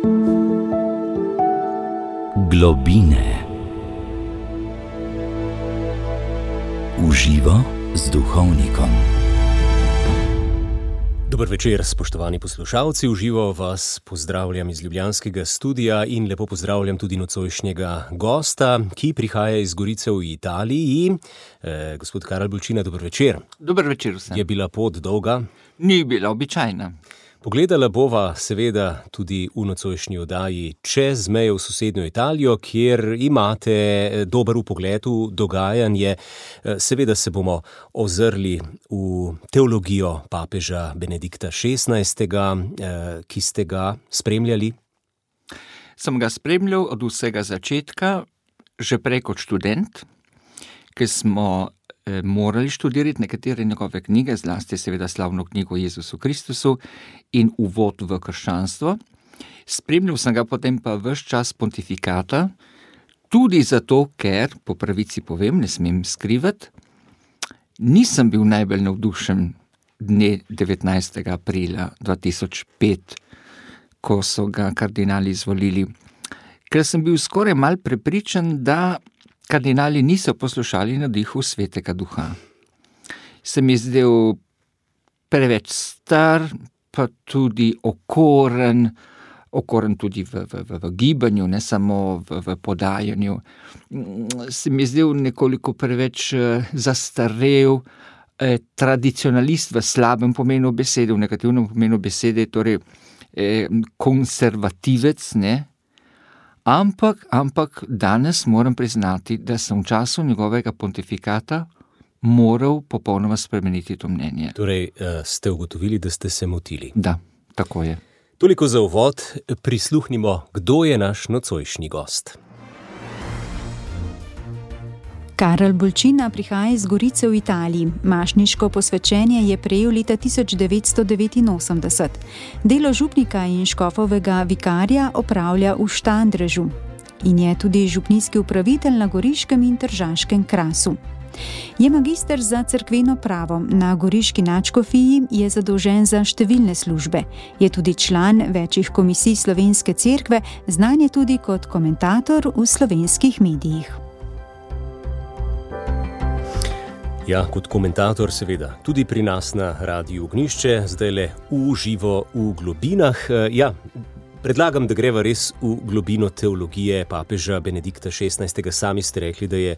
Globine. V živo z duhovnikom. Dober večer, spoštovani poslušalci. V živo vas pozdravljam iz ljubljanskega studia in lepo pozdravljam tudi nocojšnjega gosta, ki prihaja iz Gorice v Italiji. Gospod Karel Bolčina, dober večer. Dober večer vsem. Je bila pot dolga? Ni bila običajna. Pogledala bova seveda tudi v nocojšnji oddaji čez mejo v sosednjo Italijo, kjer imate dober vpogled v dogajanje. Seveda se bomo ozrli v teologijo papeža Benedikta XVI, ki ste ga spremljali. Sem ga spremljal od vsega začetka, že prej kot študent, ki smo morali študirati nekatere njegove knjige, zlasti seveda slavno knjigo o Jezusu Kristusu in uvod v krščanstvo. Spremljal sem ga potem pa ves čas pontifikata, tudi zato, ker, po pravici povem, ne smem skrivati, nisem bil najbolj navdušen dne 19. aprila 2005, ko so ga kardinali izvolili, ker sem bil skoraj mal prepričan, da kardinali niso poslušali navdihu Svetega Duha. Se mi zdel preveč star, pa tudi okoren tudi v gibanju, ne samo v podajanju. Se mi zdel nekoliko preveč zastarel, tradicionalist v slabem pomenu besede, v negativnem pomenu besede, torej konservativec, ne? Ampak danes moram priznati, da sem v času njegovega pontifikata moral popolnoma spremeniti to mnenje. Torej, ste ugotovili, da ste se motili? Da, tako je. Toliko za uvod, prisluhnimo, kdo je naš nocojšnji gost. Karel Bolčina prihaja iz Gorice v Italiji. Mašniško posvečenje je prejel leta 1989. Delo župnika in škofovega vikarja opravlja v Štandrežu in je tudi župnijski upravitelj na Goriškem in Tržaškem krasu. Je magister za cerkveno pravo, na goriški nadškofiji je zadolžen za številne službe. Je tudi član večjih komisij Slovenske cerkve, znan je tudi kot komentator v slovenskih medijih. Ja, kot komentator seveda, tudi pri nas na Radiu Ognjišče, zdajle v živo v globinah. Ja, predlagam, da greva res v globino teologije papeža Benedikta XVI. Sami ste rekli, da je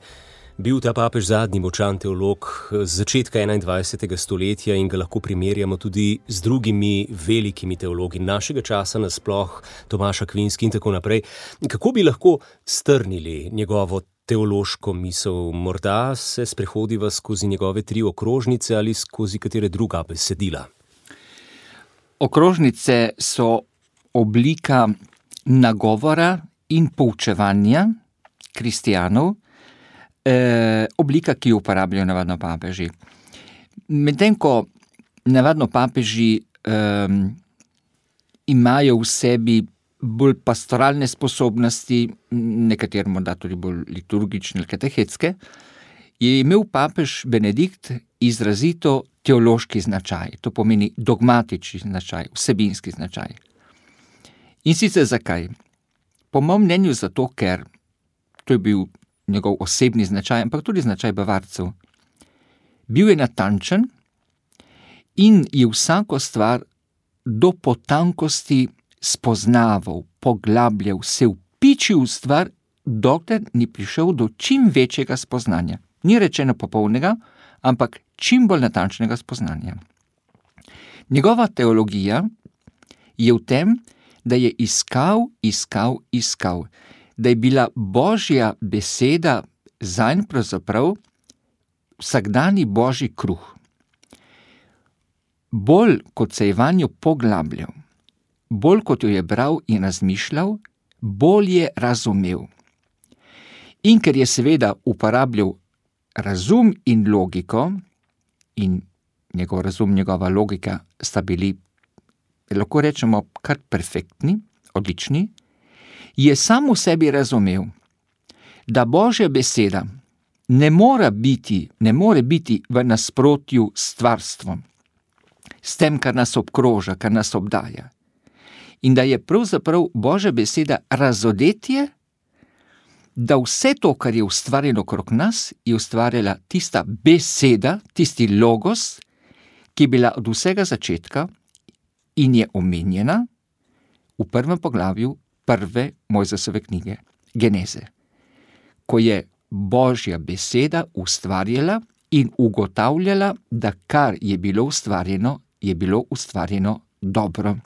bil ta papež zadnji močan teolog z začetka 21. stoletja in ga lahko primerjamo tudi z drugimi velikimi teologi našega časa, nasploh Tomaš Akvinski in tako naprej. Kako bi lahko strnili njegovo teološko misel? Morda se sprehodiva skozi njegove 3 okrožnice ali skozi katere druga besedila? Okrožnice so oblika nagovora in poučevanja kristijanov, oblika, ki jo uporabljajo navadno papeži. Medtem ko navadno papeži imajo v sebi bolj pastoralne sposobnosti, nekateri morda tudi bolj liturgične ali katehetske, je imel papež Benedikt izrazito teološki značaj, to pomeni dogmatični značaj, vsebinski značaj. In sicer zakaj? Po mojem mnenju zato, ker to je bil njegov osebni značaj, ampak tudi značaj bavarcev. Bil je natančen in je vsako stvar do potankosti spoznaval, poglabljal, se vpičil v stvar, dokler ni prišel do čim večjega spoznanja. Ni rečeno popolnega, ampak čim bolj natančnega spoznanja. Njegova teologija je v tem, da je iskal, da je bila Božja beseda zanj pravzaprav vsakdanji Božji kruh. Bolj kot se je vanjo poglabljal, bolj kot jo je bral in razmišljal, bolj je razumel. In ker je seveda uporabljal razum in logiko, in njegov razum, njegova logika sta bili, lahko rečemo, kar perfektni, odlični, je sam v sebi razumel, da Božja beseda ne more biti v nasprotju s stvarstvom, s tem, kar nas obkroža, kar nas obdaja. in da je pravzaprav Božja beseda razodetje, da vse to, kar je ustvarjeno okrog nas, je ustvarjala tista beseda, tisti logos, ki je bila od vsega začetka in je omenjena v prvem poglavju prve Mojzesove knjige, Geneze, ko je Božja beseda ustvarjala in ugotavljala, da kar je bilo ustvarjeno dobro.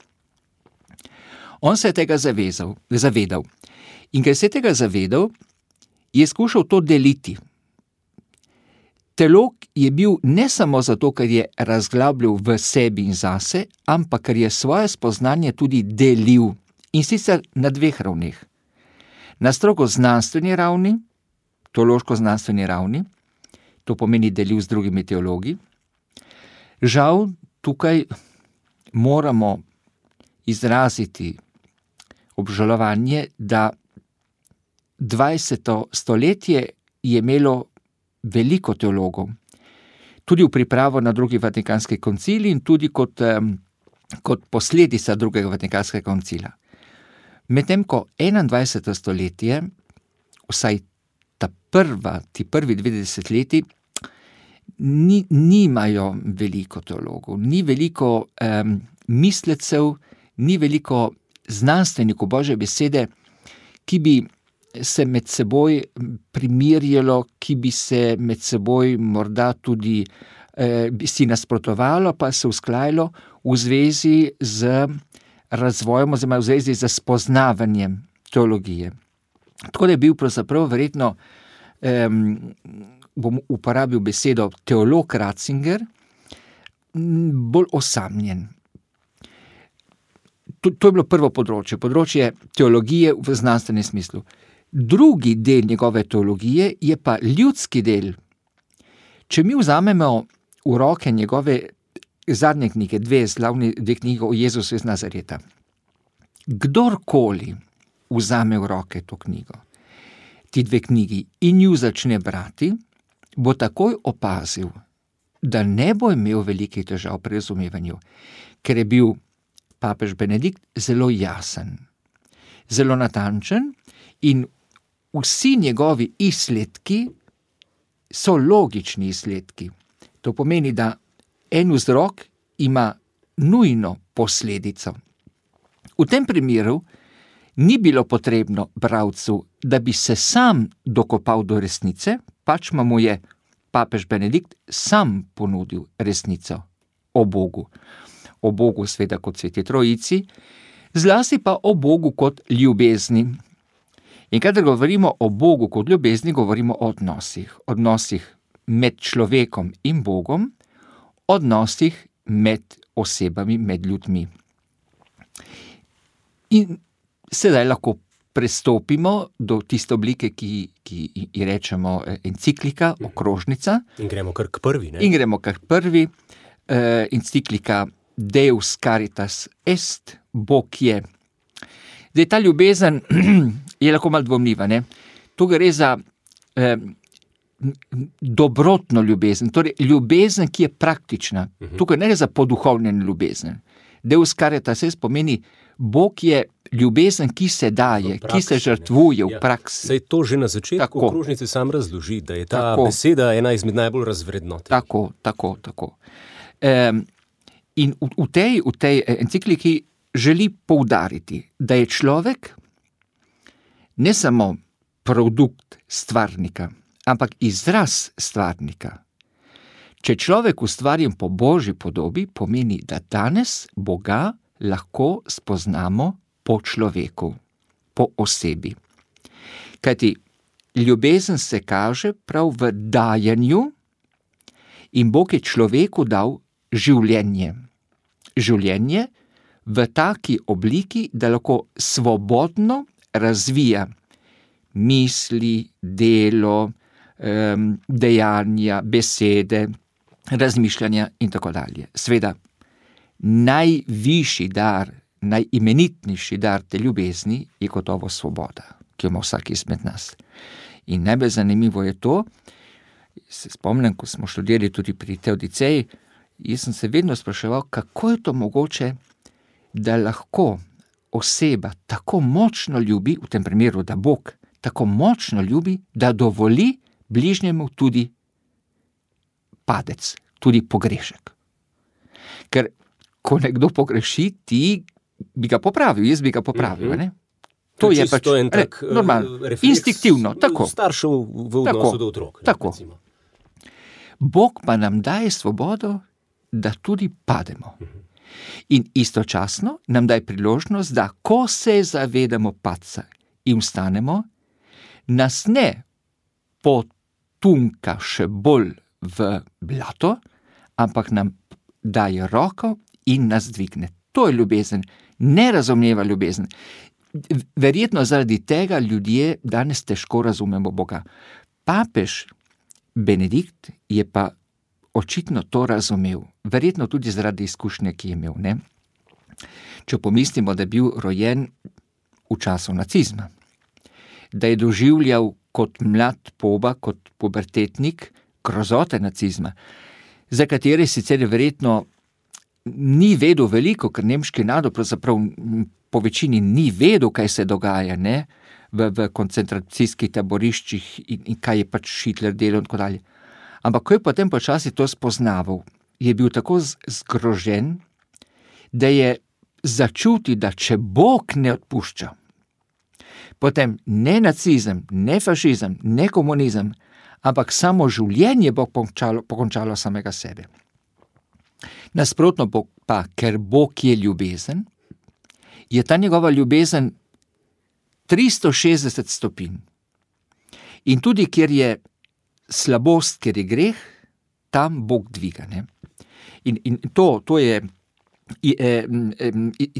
On se je tega zavedal. In ker se je tega zavedal, je skušal to deliti. Teolog je bil ne samo zato, ker je razglabljal v sebi in zase, ampak ker je svoje spoznanje tudi delil, in sicer na dveh ravneh. Na strogo znanstveni ravni, teološko-znanstveni ravni, to pomeni delil z drugimi teologi. Žal, tukaj moramo izraziti obžalovanje, da 20. stoletje je imelo veliko teologov, tudi v pripravo na drugi Vatikanski koncil in tudi kot posledica drugega Vatikanskega koncila. Medtem ko 21. stoletje, vsaj ti prvi 20 leti, nimajo veliko teologov, ni veliko mislecev, ni veliko znanstvenikov Božje besede, ki bi se med seboj primerjalo, ki bi se med seboj morda tudi si nasprotovalo, pa se usklajalo v zvezi z razvojem oziroma v zvezi z spoznavanjem teologije. Tako da je bil pravzaprav verjetno, bom uporabil besedo teolog Ratzinger, bolj osamljen. To je bilo prvo področje teologije v znanstvenem smislu. Drugi del njegove teologije je pa ljudski del. Če mi vzamemo v roke njegove zadnje knjige, dve knjige o Jezusu iz Nazareta, kdorkoli vzame v roke to knjigo, ti dve knjigi, in ju začne brati, bo takoj opazil, da ne bo imel velikih težav pri razumevanju, ker je bil papež Benedikt zelo jasen, zelo natančen in vsi njegovi izsledki so logični izsledki. To pomeni, da en vzrok ima nujno posledico. V tem primeru ni bilo potrebno bralcu, da bi se sam dokopal do resnice, pač mu je papež Benedikt sam ponudil resnico o Bogu. O Bogu sveda kot Sveti Trojici, zlasti pa o Bogu kot ljubezni. In kadar govorimo o Bogu kot ljubezni, govorimo o odnosih med človekom in Bogom, odnosih med osebami, med ljudmi. In sedaj lahko prestopimo do tiste oblike, ki ji rečemo enciklika, okrožnica. In gremo kar k prvi, ne? In gremo kar k prvi, enciklika Deus Caritas Est, Bog je. Zdaj, ta ljubezen je lahko malo dvomljiva, ne? Tu gre za dobrotno ljubezen, torej ljubezen, ki je praktična. Tukaj ne gre za poduhovnjen ljubezen. Deus Caritas Est pomeni, Bog je ljubezen, ki se daje, ki se žrtvuje v praksi. Saj to že na začetku okrožnice sam razloži, da je ta beseda ena izmed najbolj razvrednotenih. Tako. In v tej encikliki želi poudariti, da je človek ne samo produkt stvarnika, ampak izraz stvarnika. Če človek ustvarjen po Božji podobi, pomeni, da danes Boga lahko spoznamo po človeku, po osebi. Kajti ljubezen se kaže prav v dajanju in Bog je človeku dal življenje. Življenje v taki obliki, da lahko svobodno razvija misli, delo, dejanja, besede, razmišljanja in tako dalje. Sveda, najvišji dar, najimenitnejši dar te ljubezni je gotovo svoboda, ki jo ima vsak izmed nas. In najbolj zanimivo je to, se spomnim, ko smo študirali tudi pri Teodiceji, jaz sem se vedno spraševal, kako je to mogoče, da lahko oseba tako močno ljubi, v tem primeru, da Bog tako močno ljubi, da dovoli bližnjemu tudi padec, tudi pogrešek. Ker ko nekdo pogreši, ti bi ga popravil, jaz bi ga popravil, ne? To je pač normalno, instinktivno, tako. Staršev v odnosu do otrok. Tako. Bog pa nam daje svobodo, da tudi pademo. In istočasno nam daje priložnost, da ko se zavedamo padca in vstanemo, nas ne potunka še bolj v blato, ampak nam daje roko in nas dvigne. To je ljubezen, nerazumljiva ljubezen. Verjetno zaradi tega ljudje danes težko razumemo Boga. Papež Benedikt je pa očitno to razumel, verjetno tudi zaradi izkušnje, ki je imel, ne? Če pomislimo, da je bil rojen v času nacizma, da je doživljal kot mlad poba, kot pubertetnik, grozote nacizma, za katere sicer verjetno ni vedel veliko, ker nemški narod pravzaprav po večini ni vedel, kaj se dogaja, ne? V koncentracijskih taboriščih in kaj je pač Hitler delal in tako dalje. Ampak ko je potem počasi to spoznaval, je bil tako zgrožen, da je začutil, da če Bog ne odpušča, potem ne nacizem, ne fašizem, ne komunizem, ampak samo življenje bo pokončalo samega sebe. Nasprotno pa, ker Bog je ljubezen, je ta njegova ljubezen 360 stopinj. In tudi, kjer je slabost, kjer je greh, tam Bog dviga, ne? In to je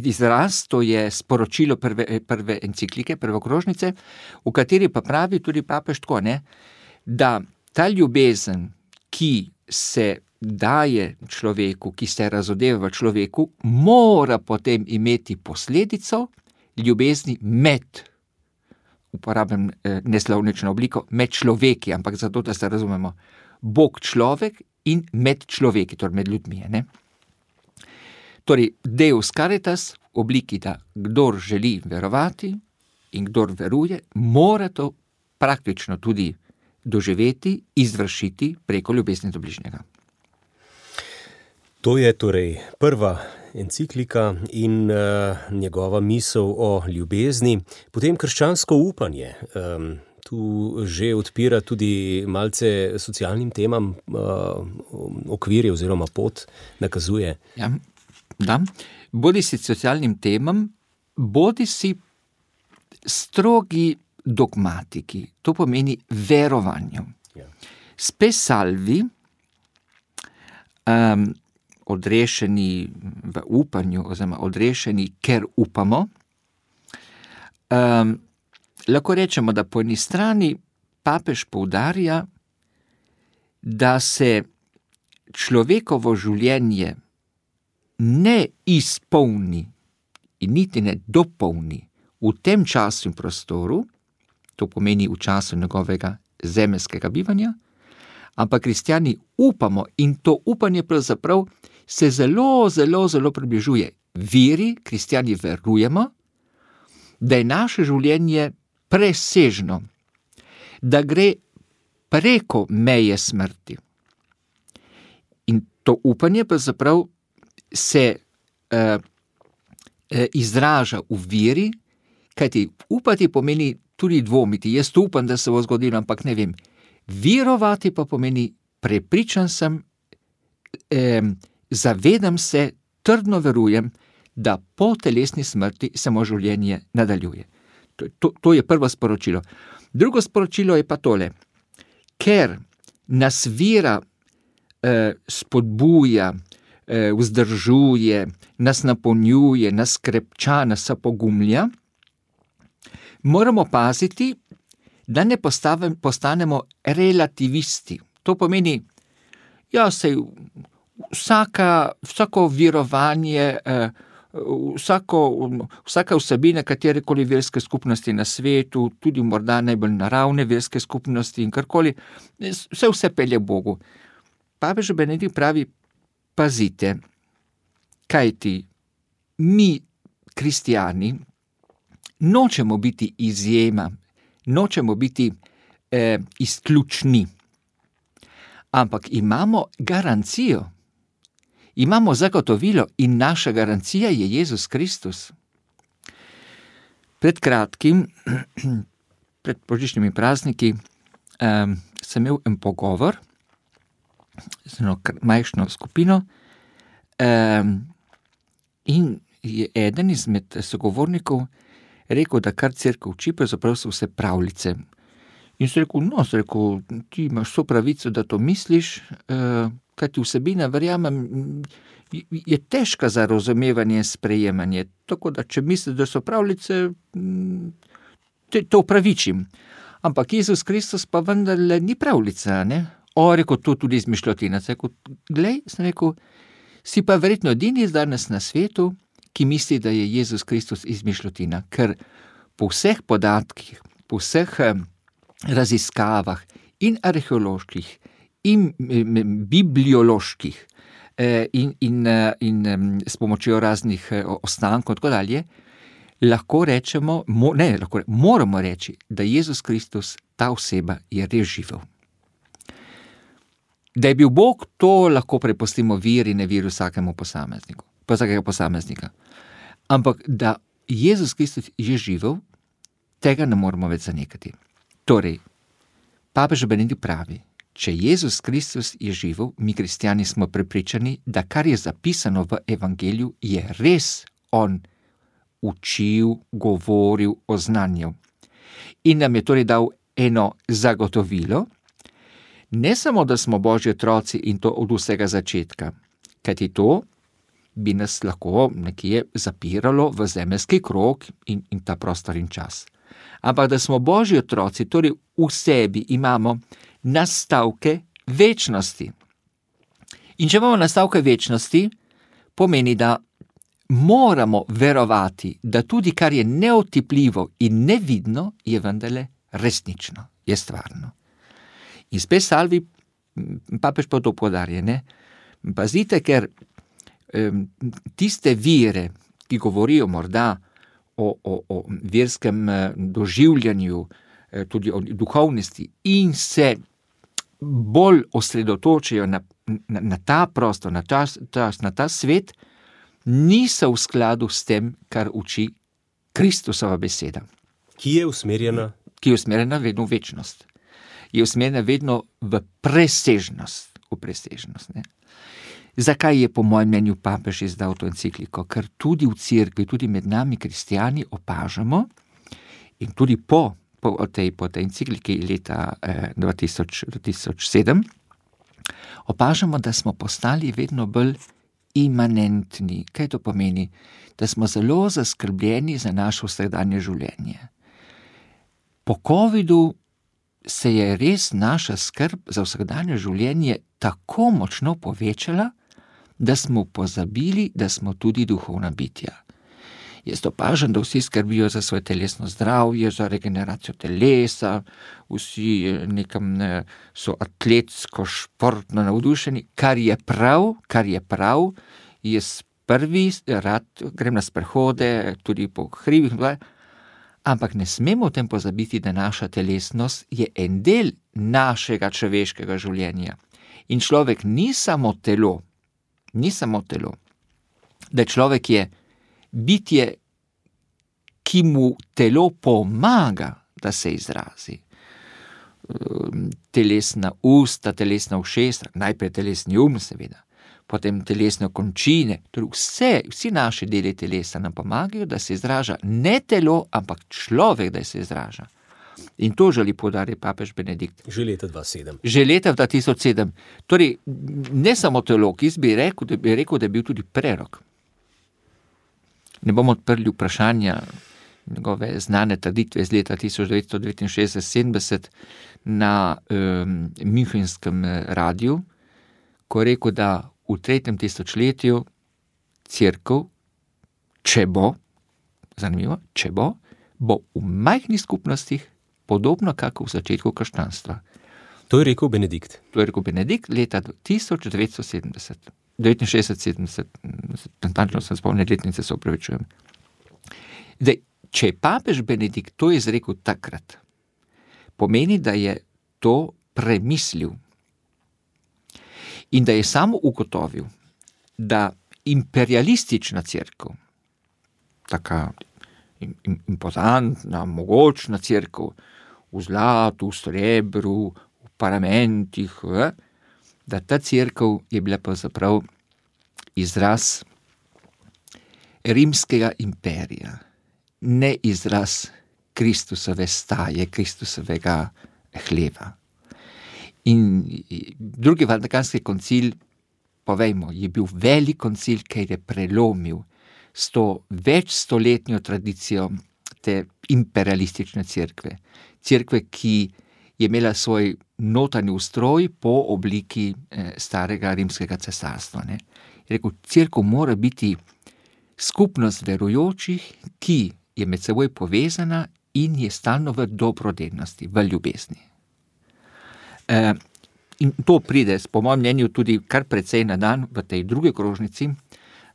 izraz, to je sporočilo prve enciklike, prve okrožnice, v kateri pa pravi tudi papež tako, ne? Da ta ljubezen, ki se daje človeku, ki se razodeva v človeku, mora potem imeti posledico ljubezni med, uporabljam neslovnično obliko, med človeki, ampak zato, da se razumemo, Bog človek in med človeki, torej med ljudmi, ne? Torej, Deus caritas v obliki, da kdor želi verovati in kdor veruje, mora to praktično tudi doživeti, izvršiti preko ljubezni do bližnjega. To je torej prva enciklika in njegova misel o ljubezni, potem krščansko upanje. Tu že odpira tudi malce socialnim temam okvirje oziroma pot nakazuje. Ja, da. Bodi si socialnim temam, bodi si strogi dogmatiki, to pomeni verovanju. Ja. Spe salvi, odrešeni v upanju, oziroma odrešeni, ker upamo. Lahko rečemo, da po eni strani papež poudarja, da se človekovo življenje ne izpolni in niti ne dopolni v tem času in prostoru, to pomeni v času njegovega zemeljskega bivanja, ampak kristjani upamo in to upanje pravzaprav se zelo, zelo, zelo približuje veri, kristjani verujemo, da je naše življenje presežno, da gre preko meje smrti. In to upanje pravzaprav se izraža v veri, kajti upati pomeni tudi dvomiti. Jaz upam, da se bo zgodilo, ampak ne vem. Verovati pa pomeni prepričan sem, zavedam se, trdno verujem, da po telesni smrti se moje življenje nadaljuje. To je prvo sporočilo. Drugo sporočilo je pa tole. Ker nas vera spodbuja, vzdržuje, nas napolnjuje, nas krepča, nas opogumlja, moramo paziti, da ne postanemo relativisti. To pomeni, ja, sej vsako verovanje, vsaka vsebina katerekoli verske skupnosti na svetu, tudi morda najbolj naravne verske skupnosti in karkoli, vse pelje Bogu. Papež Benedikt pravi, pazite, kajti mi, kristijani nočemo biti izjema, nočemo biti izključni, ampak imamo garancijo, imamo zagotovilo in naša garancija je Jezus Kristus. Pred kratkim, pred božičnimi prazniki, sem imel en pogovor z eno majhno skupino in je eden izmed sogovornikov rekel, da kar cerkev uči, pravzaprav so vse pravljice. In sem rekel, ti imaš vso pravico, da to misliš, kajti vsebina, verjamem, je težka za razumevanje, sprejemanje. Tako da, če misliš, da so pravljice, to upravičim. Ampak Jezus Kristus pa vendarle ni pravljica, ne? Rekel, to tudi izmišljotina. Sem rekel, si pa verjetno edini danes na svetu, ki misli, da je Jezus Kristus izmišljotina, ker po vseh podatkih, po vseh raziskavah in arheoloških in biblioloških in s pomočjo raznih ostankov in tako dalje, moramo reči, da Jezus Kristus, ta oseba, je res živel. Da je bil Bog, to lahko prepustimo veri, ne veri vsakega posameznika. Ampak da Jezus Kristus je živel, tega ne moramo več zanikati. Torej, papež Benedikt pravi, če Jezus Kristus je živel, mi kristjani smo prepričani, da kar je zapisano v evangeliju, je res on učil, govoril, oznanjal. In nam je torej dal eno zagotovilo, ne samo, da smo Božji otroci in to od vsega začetka, kajti to bi nas lahko nekje zapiralo v zemeljski krog in ta prostor in čas. Ampak da smo Božji otroci, torej v sebi imamo nastavke večnosti. In če imamo nastavke večnosti, pomeni, da moramo verovati, da tudi kar je neotipljivo in nevidno, je vendarle resnično, je stvarno. In spet salvi, papež pa to poudarja, ne? Pazite, ker tiste vire, ki govorijo morda o verskem doživljanju, tudi o duhovnosti in se bolj osredotočajo na ta prostor, na ta svet, niso v skladu s tem, kar uči Kristusova beseda. Ki je usmerjena? Ki je usmerjena vedno v večnost. Je usmerjena vedno v presežnost. Ne? Zakaj je po mojem mnenju papež izdal to encikliko? Ker tudi v cerkvi, tudi med nami kristjani opažamo in tudi po tej encikliki leta 2007 opažamo, da smo postali vedno bolj imanentni. Kaj to pomeni? Da smo zelo zaskrbljeni za naše vsakdanje življenje. Po covidu se je res naša skrb za vsakdanje življenje tako močno povečala, da smo pozabili, da smo tudi duhovna bitja. Jaz opažam, da vsi skrbijo za svoje telesno zdravje, za regeneracijo telesa, vsi nekam so atletsko, športno navdušeni, kar je prav, jaz prvi rad grem na sprehode, tudi po hribih, ampak ne smemo o tem pozabiti, da naša telesnost je en del našega človeškega življenja. In človek ni samo telo, da človek je bitje, ki mu telo pomaga, da se izrazi. Telesna usta, telesna ušesa, najprej telesni seveda, potem telesne končine, torej vsi naši deli telesa nam pomagajo, da se izraža ne telo, ampak človek, da se izraža. In to želi poudariti papež Benedikt. Že leta 2007. Že leta 2007. Torej, ne samo teolog, jaz bi rekel, da je bil tudi prerok. Ne bomo odprli vprašanja njegove znane trditve iz leta 1969-70 na Münchenskem radiju, ko je rekel, da v 3. tisočletju cerkev, če bo v majhnih skupnostih podobno kako v začetku krščanstva. To je rekel Benedikt. To je rekel Benedikt leta 1970. 69-70, natančno sem spomnil letnice, se opravičujem. Zdaj, če je papež Benedikt to izrekel takrat, pomeni, da je to premislil in da je samo ugotovil, da imperialistična cerkev, taka impozantna, mogočna cerkev, v zlatu, v srebru, v paramentih, da ta cerkev je bila pravzaprav izraz rimskega imperija, ne izraz Kristusove staje, Kristusovega hleva. In drugi Vatikanski koncil, povejmo, je bil velik koncil, ker je prelomil s to večstoletnjo tradicijo te imperialistične cerkve. Cerkve, ki je imela svoj notranji ustroj po obliki starega rimskega cesarstva. Ne. Je rekel, cerkev mora biti skupnost verujočih, ki je med seboj povezana in je stalno v dobrodelnosti, v ljubezni. In to pride, po mojem mnenju, tudi kar precej na dan v tej drugi okrožnici,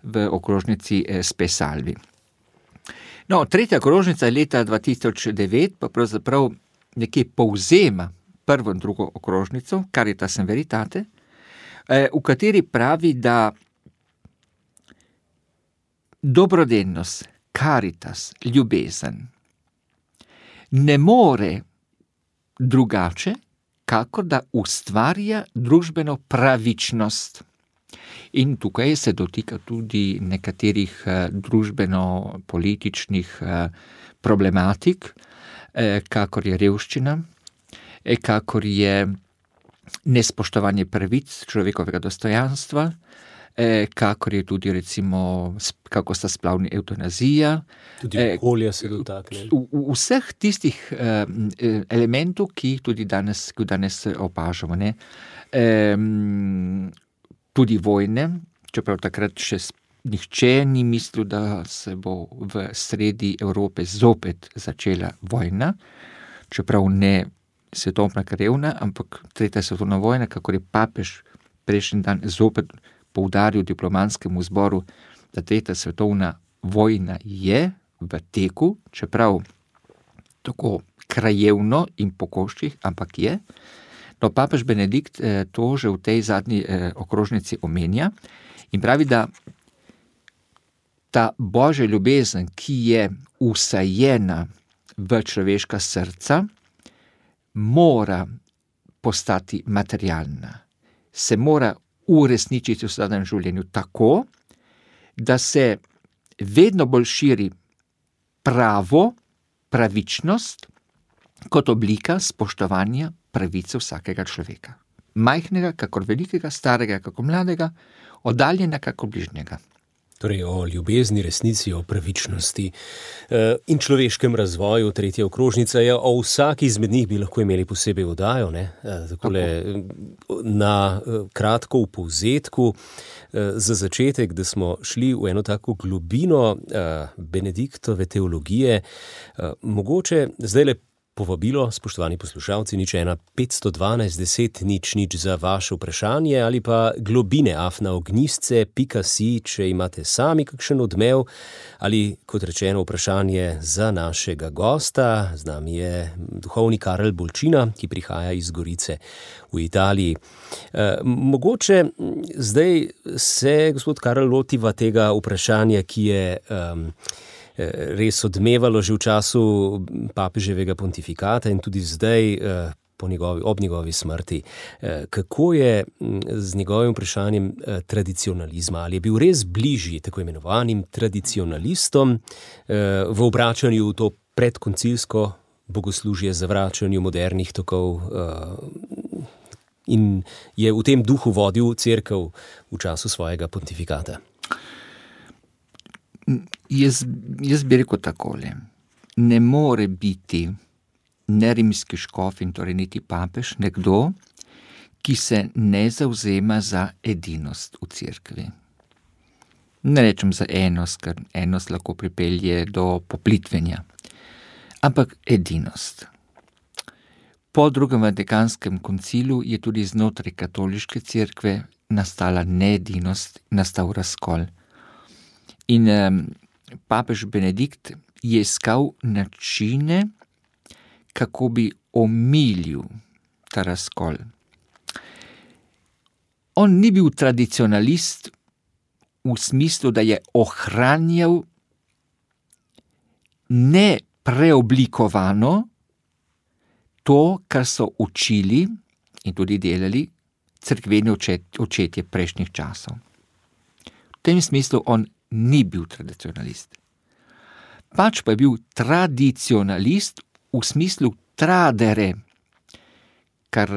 v okrožnici Spe Salvi. No, tretja okrožnica leta 2009 pa pravzaprav nekje povzema prvo in drugo okrožnico, Caritas in Veritate, v kateri pravi, da dobrodelnost, caritas, ljubezen, ne more drugače, kakor da ustvarja družbeno pravičnost. In tukaj se dotika tudi nekaterih družbeno-političnih problematik, kakor je revščina, kakor je nespoštovanje pravic človekovega dostojanstva, kakor je tudi recimo, kako sta splavni evtanazija. Tudi okolja se dotakne. Vseh tistih elementov, ki jih tudi danes opažamo. Ne? Tudi vojne, čeprav takrat še nihče ni mislil, da se bo v sredi Evrope zopet začela vojna, čeprav ne svetovna krvna, ampak tretja svetovna vojna, kakor je papež prejšnji dan zopet poudaril diplomatskemu zboru, da tretja svetovna vojna je v teku, čeprav tako krajevno in po koščih, ampak je. No, papež Benedikt to že v tej zadnji okrožnici omenja in pravi, da ta božja ljubezen, ki je vsajena v človeška srca, mora postati materialna. Se mora uresničiti v vsakdanjem življenju tako, da se vedno bolj širi pravo, pravičnost, kot oblika spoštovanja pravice vsakega človeka. Majhnega, kakor velikega, starega, kakor mladega, oddaljena, kakor bližnjega. Torej o ljubezni, resnici, o pravičnosti in človeškem razvoju. Tretja okrožnica je, o vsaki izmed njih bi lahko imeli posebej oddajo, ne? Takole na kratko v povzetku. Za začetek, da smo šli v eno tako globino Benediktove teologije, mogoče zdajle povabilo, spoštovani poslušalci, 01 512 10 0 za vaše vprašanje ali pa globine@ognjisce.si, če imate sami kakšen odmev ali, kot rečeno, vprašanje za našega gosta. Z nami je duhovni Karel Bolčina, ki prihaja iz Gorice v Italiji. Mogoče zdaj se, gospod Karel, lotiva tega vprašanja, ki je res odmevalo že v času papeževega pontifikata in tudi zdaj ob njegovi smrti. Kako je z njegovim vprašanjem tradicionalizma? Ali je bil res bližji tako imenovanim tradicionalistom v obračanju v to predkoncilsko bogoslužje, zavračanju modernih tokov in je v tem duhu vodil cerkev v času svojega pontifikata? Jaz bi rekel takole. Ne more biti ne rimski škof in torej niti papež nekdo, ki se ne zavzema za edinost v cerkvi. Ne rečem za enost, ker enost lahko pripelje do poplitvenja, ampak edinost. Po drugem Vatikanskem koncilu je tudi znotraj katoliške cerkve nastala needinost, nastal razkol. In papež Benedikt je iskal načine, kako bi omilil ta razkol. On ni bil tradicionalist v smislu, da je ohranjal ne preoblikovano to, kar so učili in tudi delali cerkveni očetje prejšnjih časov. V tem smislu on ni bil tradicionalist. Pač pa je bil tradicionalist v smislu tradere, kar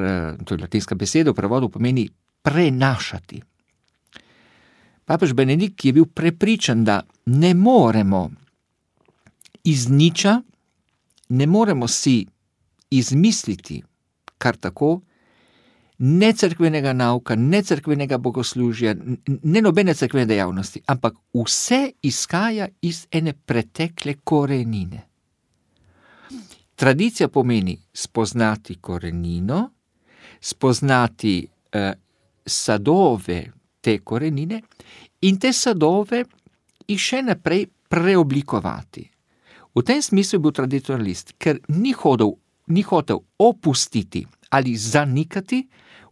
to je latinska beseda, v prevodu pomeni prenašati. Papež Benedikt je bil prepričan, da ne moremo iz niča, ne moremo si izmisliti kar tako, ne cerkvenega nauka, ne cerkvenega bogoslužja, ne nobene cerkvene dejavnosti, ampak vse izhaja iz ene pretekle korenine. Tradicija pomeni spoznati korenino, spoznati sadove te korenine in te sadove jih še naprej preoblikovati. V tem smislu je bil tradicionalist, ker ni hotel opustiti ali zanikati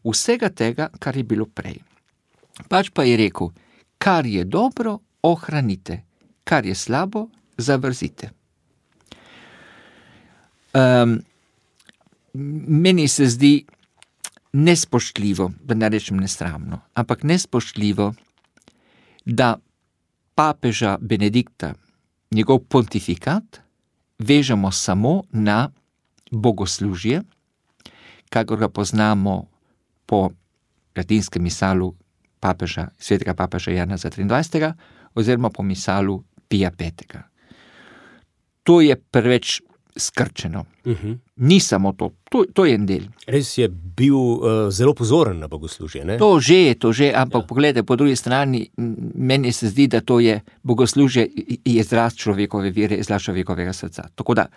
vsega tega, kar je bilo prej. Pač pa je rekel, kar je dobro, ohranite, kar je slabo, zavrzite. Meni se zdi nespoštljivo, da ne rečem nesramno, ampak nespoštljivo, da papeža Benedikta, njegov pontifikat, vežemo samo na bogoslužje, kakor ga poznamo po latinskem misalu svetega papeža Jana 23. oziroma po misalu Pija V. To je preveč skrčeno. Ni samo to. To je en del. Res je bil zelo pozoren na bogoslužje, ne? To že, ampak pogledajte, po drugi strani, meni se zdi, da to je bogoslužje, je izraz človekove vere, izraz človekovega srca. Tako da,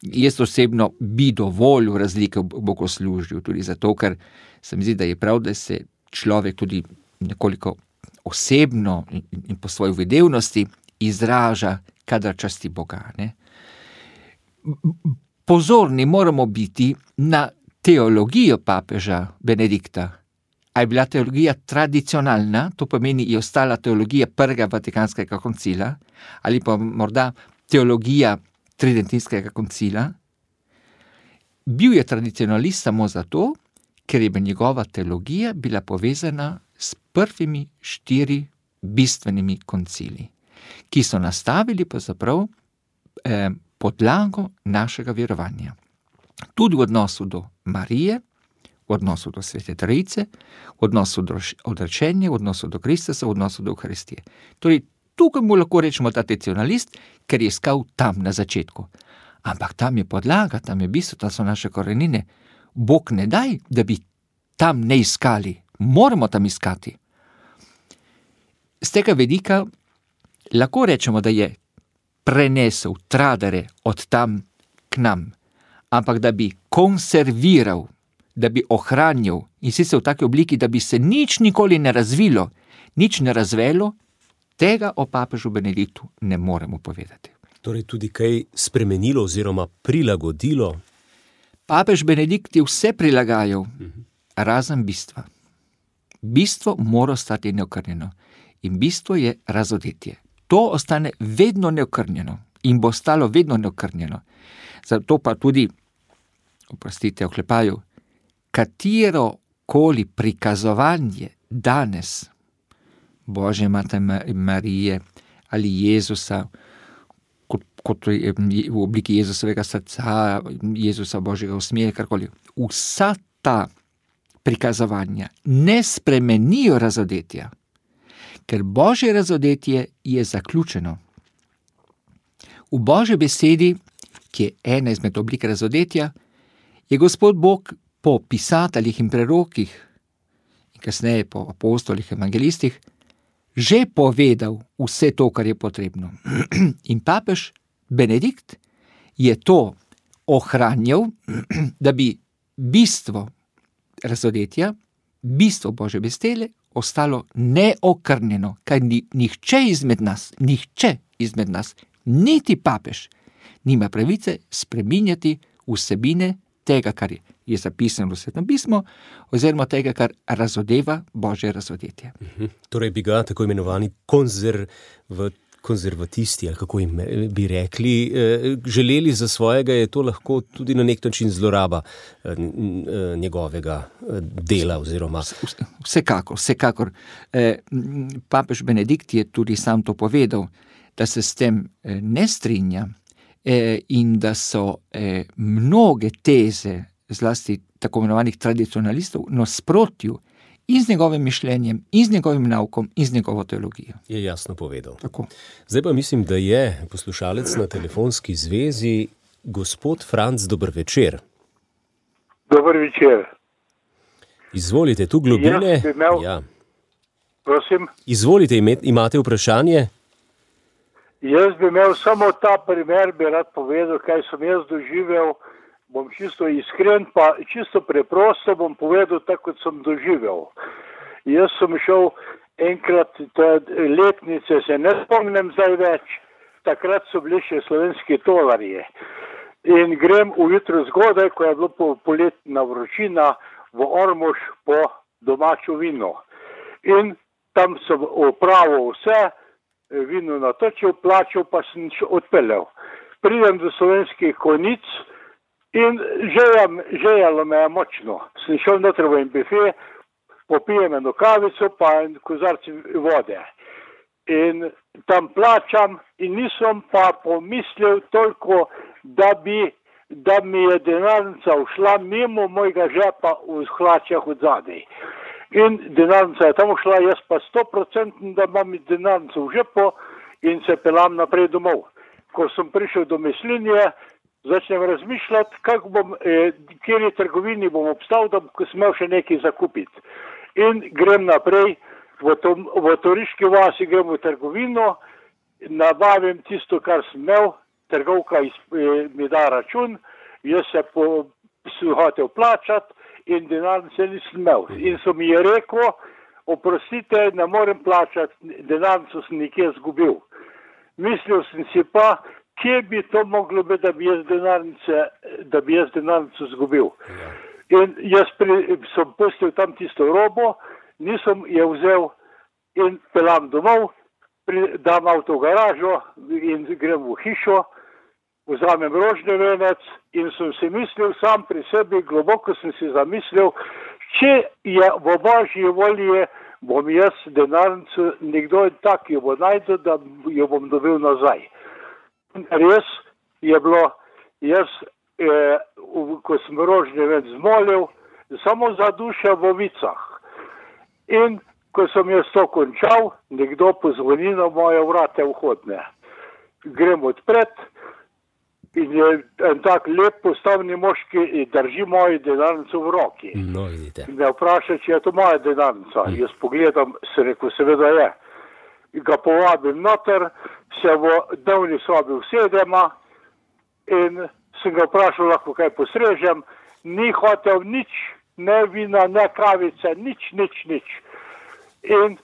jaz osebno bi dovolil razlike v bogoslužju, tudi zato, ker se mi zdi, da je prav, da se človek tudi nekoliko osebno in po svoji vedevnosti izraža, kadar časti Boga, ne? Pozorni moramo biti na teologijo papeža Benedikta. A je bila teologija tradicionalna, to pomeni, je ostala teologija prvega Vatikanskega koncila, ali pa morda teologija Tridentinskega koncila. Bil je tradicionalist samo zato, ker je njegova teologija bila povezana s prvimi 4 bistvenimi koncili, ki so nastavili pravzaprav podlago našega verovanja. Tudi v odnosu do Marije, v odnosu do Svete Trojice, v odnosu do odrečenja, v odnosu do Kristusa, v odnosu do Euharistije. Torej, tukaj mu lahko rečemo tradicionalist, ker je iskal tam na začetku. Ampak tam je podlaga, tam je bistvo, tam so naše korenine. Bog ne daj, da bi tam ne iskali. Moramo tam iskati. Z tega vidika lahko rečemo, da je prenesel tradere od tam k nam, ampak da bi konserviral, da bi ohranjal in sicer v taki obliki, da bi se nič nikoli ne razvilo, nič ne razvelo, tega o papežu Benediktu ne moremo povedati. Torej tudi kaj spremenilo oziroma prilagodilo? Papež Benedikt je vse prilagajal, razen bistva. Bistvo mora ostati neokrnjeno in bistvo je razodetje. To ostane vedno neokrnjeno in bo ostalo vedno neokrnjeno. Zato pa tudi, oprostite, oklepaju, katero koli prikazovanje danes Božje Matere Marije ali Jezusa, kot je v obliki Jezusovega srca, Jezusa Božjega usmeha, karkoli, vsa ta prikazovanja ne spremenijo razodetja, ker Božje razodetje je zaključeno. V Božji besedi, ki je ena izmed oblik razodetja, je Gospod Bog po pisateljih in prerokih in kasneje po apostolih, evangelistih že povedal vse to, kar je potrebno. In papež Benedikt je to ohranjal, da bi bistvo razodetja, bistvo Božje besede ostalo neokrnjeno, kaj nihče izmed nas niti papež nima pravice spreminjati vsebine tega, kar je zapisano v Svetem pismu, oziroma tega, kar razodeva Božje razodetje. Torej bi ga tako imenovani konzervatisti, ali kako jim bi rekli, želeli za svojega, je to lahko tudi na nek način zloraba njegovega dela oziroma... Vsekakor. Papež Benedikt je tudi sam to povedal, da se s tem ne strinja in da so mnoge teze, zlasti tako imenovanih tradicionalistov, v nasprotju in z njegovim mišljenjem, in z njegovim naukom, in z njegovo teologijo. Je jasno povedal. Tako. Zdaj pa mislim, da je poslušalec na telefonski zvezi gospod Franc, dober večer. Dober večer. Izvolite, tu Globine. Ja. Prosim? Izvolite, imate vprašanje? Jaz bi imel samo ta primer, bi rad povedal, kaj sem jaz doživel. Bom čisto iskren, pa čisto preprosto bom povedal tako, kot sem doživel. Jaz sem šel enkrat, letnice se ne spomnim zdaj več, takrat so bili še slovenski tolarji. In grem ujutro zgodaj, ko je bilo poletna vročina, v Ormož po domačo vino. In tam sem opravil vse, vino natočil, plačal, pa sem odpeljal. Pridem do Slovenskih Konjic in žejalo me je močno. Sem šel noter v en bife, popijem eno kavico, pa en kozarci vode. In tam plačam in nisem pa pomislil toliko, da mi je denarnica ušla mimo mojega žepa v hlačah od zadaj. In denarnica je tam ušla, jaz pa 100%, da imam denarnico v žepu in se pelam naprej domov. Ko sem prišel do Mislinje, začnem razmišljati, kjeri trgovini bom obstal, da sem imel še nekaj zakupiti. In grem naprej, v Toriški vasi grem v trgovino, nabavim tisto, kar sem imel, trgovka mi da račun, jaz se hotel plačati in denarnice nisem imel. In so mi je rekel, oprostite, ne morem plačati, denarnico sem nekje zgubil. Mislil sem si pa, kje bi to moglo biti, da bi jaz denarnico zgubil. In jaz sem pustil tam tisto robo, nisem je vzel in pelam domov, dam avto v garažo in grem v hišo, vzamem rožni venec in sem si mislil sam pri sebi, globoko sem si zamislil, če je v Božji volji, bom jaz denarnico, nekdo tak jo bo najdel, da jo bom dobil nazaj. Res je bilo, jaz, ko sem rožni venec zmolil, samo za duše v Vicah. In ko sem jaz to končal, nekdo pozvoni na moje vrate vhodne. Grem odpred in je en tak lep postavni moški drži mojo denarnico v roki. No, vidite. Me vpraša, če je to moja denarnica. Jaz pogledam, se rekel, seveda je. Ga povabim noter, se v dnevni sobi usedema in sem ga vprašal, lahko kaj postrežem. Ni hotel nič, ne vina, ne kavice, nič. In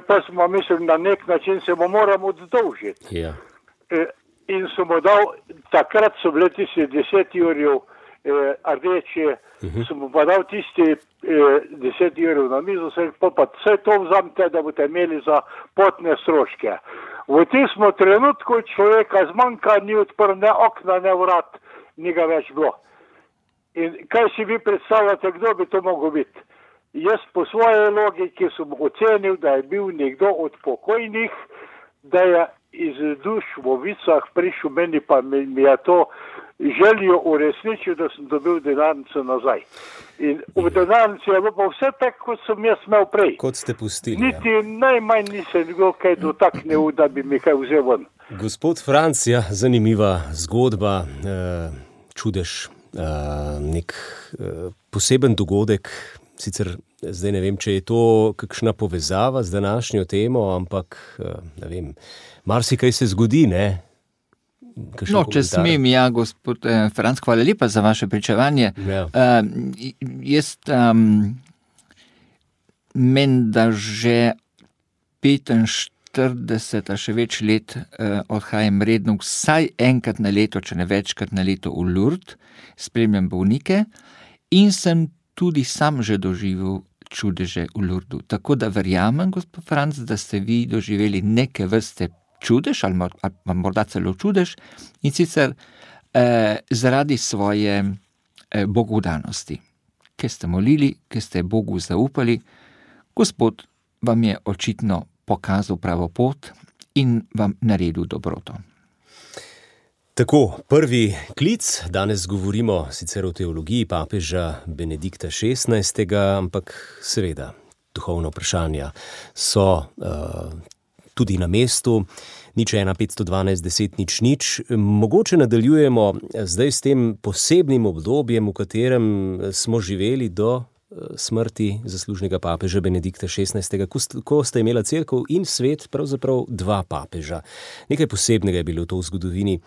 pa smo mislili, na nek način se mu moram oddolžiti. Ja. In sem mu dal, takrat so bile tisti 10 jurjev rdeči, sem mu pa dal tisti 10 jurjev na mizo, pa vse to vzamte, da boste imeli za potne stroške. V tistem trenutku človeka zmanjka, ni odprl ne okna, ne vrat, ni ga več bilo. In kaj si vi predstavljate, kdo bi to mogel biti? Jaz po svoje logiki sem ocenil, da je bil nekdo od pokojnih, da je iz duš v Vicah prišel meni, pa mi je to željo uresničil, da sem dobil denarnico nazaj. In v denarnici je bilo pa vse tako, kot sem jaz imel prej. Kot ste pustili. Niti najmanj nisem bil kaj dotaknil, da bi mi kaj vzel ven. Gospod Franc, ja, zanimiva zgodba, čudež, nek poseben dogodek. Sicer zdaj ne vem, če je to kakšna povezava z današnjo temo, ampak ne vem, marsikaj se zgodi, ne? No, če smem, ja, gospod Franc, hvala lepa za vaše pričevanje. Ja. Jaz menda že 40 ali še več let odhajam redno vsaj enkrat na leto, če ne večkrat na leto v Lourdes, spremljam bolnike in sem tudi sam že doživel čudeže v Lourdesu. Tako da verjamem, gospod Franc, da ste vi doživeli neke vrste čudež ali morda celo čudež in sicer zaradi svoje bogodanosti. Ker ste molili, ker ste Bogu zaupali, Gospod vam je očitno pokazal pravo pot in vam naredil dobroto. Tako, prvi klic, danes govorimo sicer o teologiji papeža Benedikta XVI, ampak seveda duhovna vprašanja so tudi na mestu. 015121000. Mogoče nadaljujemo zdaj s tem posebnim obdobjem, v katerem smo živeli do smrti zaslužnega papeža Benedikta XVI, ko sta imela cerkev in svet pravzaprav dva papeža. Nekaj posebnega je bilo to v zgodovini.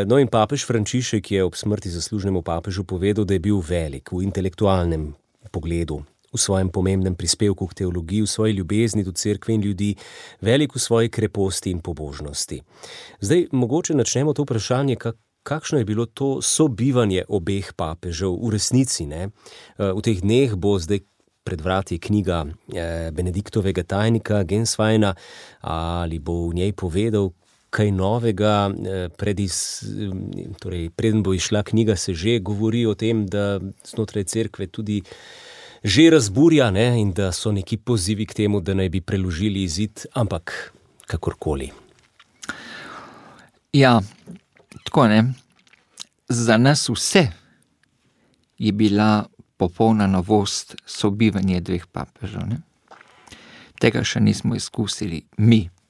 No in papež Frančišek je ob smrti zaslužnemu papežu povedal, da je bil velik v intelektualnem pogledu, v svojem pomembnem prispevku k teologiji, v svoji ljubezni do cerkve in ljudi, velik v svoji kreposti in pobožnosti. Zdaj, mogoče načnemo to vprašanje, kakšno je bilo to sobivanje obeh papežev v resnici, ne? V teh dneh bo zdaj pred vrati knjiga Benediktovega tajnika Gensweina, ali bo v njej povedal kaj novega, preden bo išla knjiga, se že govori o tem, da znotraj cerkve tudi že razburja, ne, in da so neki pozivi k temu, da naj bi preložili izid, ampak kakorkoli. Ja, tako ne. Za nas vse je bila popolna novost sobivanje dveh papežev, ne. Tega še nismo izkusili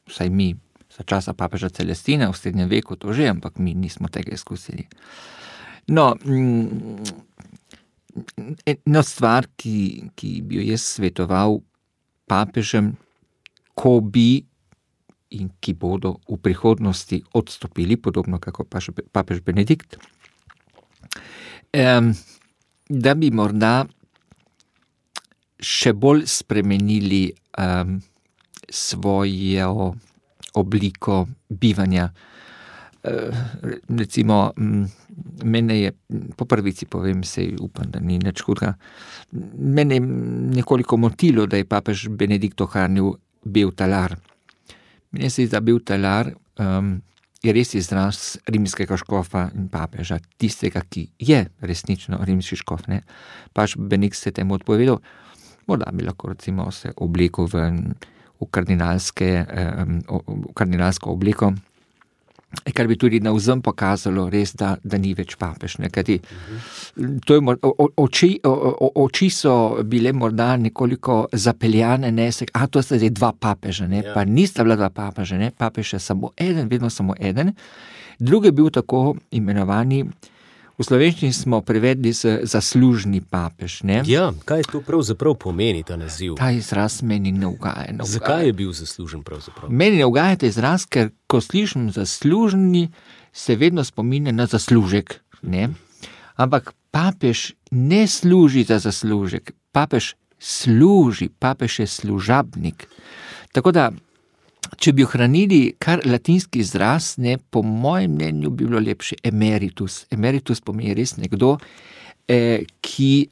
vsaj mi, za časa papeža Celestina v srednjem veku to že, ampak mi nismo tega izkusili. No, ena stvar, ki bi jo jaz svetoval papežem, ko bi in ki bodo v prihodnosti odstopili, podobno kako papež Benedikt, da bi morda še bolj spremenili svojo obliko bivanja. Recimo, mene je, po prvici povem, sej upam, da ni nič hudega, mene je nekoliko motilo, da je papež Benedikt ohranil bel talar. Mene se zdi, da bel talar je res izraz rimskega škofa in papeža, tistega, ki je resnično rimski škof, ne. Papež Benedikt se temu odpovedal, morda bi lahko recimo se oblekel v kardinalsko obliko, kar bi tudi navzven pokazalo res, da ni več papež. Kajti to je oči so bile morda nekoliko zapeljane, ne, to sta zdaj dva papeža, ne, pa nista bila dva papeža, ne, papež je samo eden, vedno samo eden. Drugi je bil tako imenovani, v slovenščini smo prevedli zaslužni papež, ne. Ja, kaj to pravzaprav pomeni, ta naziv? Ta izraz meni ne ugaja. Zakaj je bil zaslužen pravzaprav? Meni ne ugaja ta izraz, ker ko slišim zaslužni, se vedno spominja na zaslužek, ne. Ampak papež ne služi za zaslužek, papež služi, papež je služabnik. Tako da, če bi ohranili kar latinski izraz, ne, po mojem mnenju bi bilo lepše emeritus. Emeritus pomeni res nekdo, ki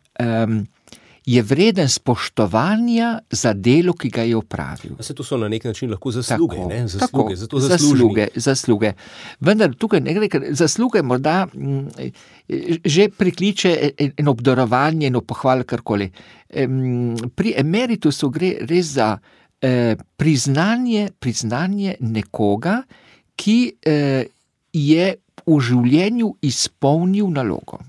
je vreden spoštovanja za delo, ki ga je opravil. Se to so na nek način lahko zasluge, tako, ne? Zasluge, zato zaslužni. Zasluge. Vendar tukaj ne gre, ker zasluge morda že prikliče eno obdarovanje, eno pohval, karkoli. Pri emeritusu gre res za priznanje nekoga, ki je v življenju izpolnil nalogo.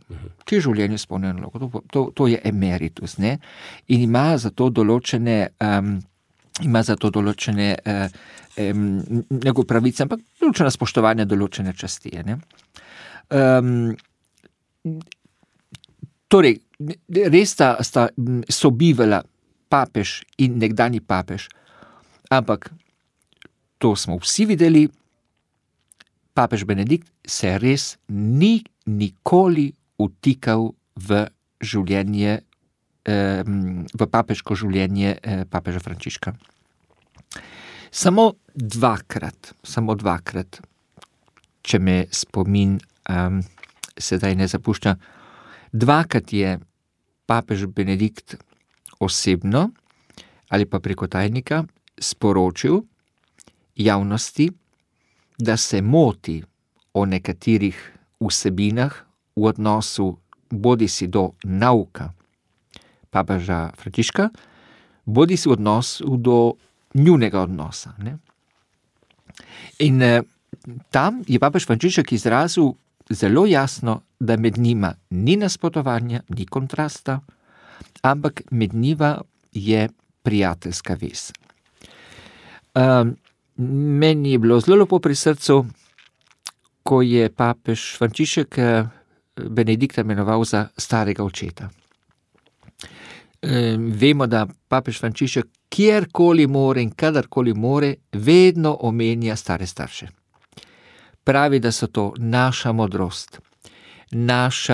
Ki je v življenju izpolnil nalogo. To je emeritus, ne? In ima za to določene njegove pravice, ampak določena spoštovanja, določene časti, ne? Torej, res sta sobivala papež in nekdanji papež, ampak to smo vsi videli, papež Benedikt se res ni nikoli vtikal v življenje, v papeško življenje papeža Frančiška. Samo dvakrat, če me spomin sedaj ne zapušča, dvakrat je papež Benedikt osebno ali pa preko tajnika sporočil javnosti, da se moti o nekaterih vsebinah v odnosu bodisi do nauka papeža Frančiška, bodisi v odnosu do njunega odnosa. Ne? In tam je papež Frančišek izrazil zelo jasno, da med njima ni nasprotovanja, ni kontrasta, ampak med njima je prijateljska vez. Meni je bilo zelo lepo pri srcu, ko je papež Frančišek Benedikta imenoval za starega očeta. Vemo, da papež Frančišek kjerkoli more in kadarkoli more, vedno omenja stare starše. Pravi, da so to naša modrost, naš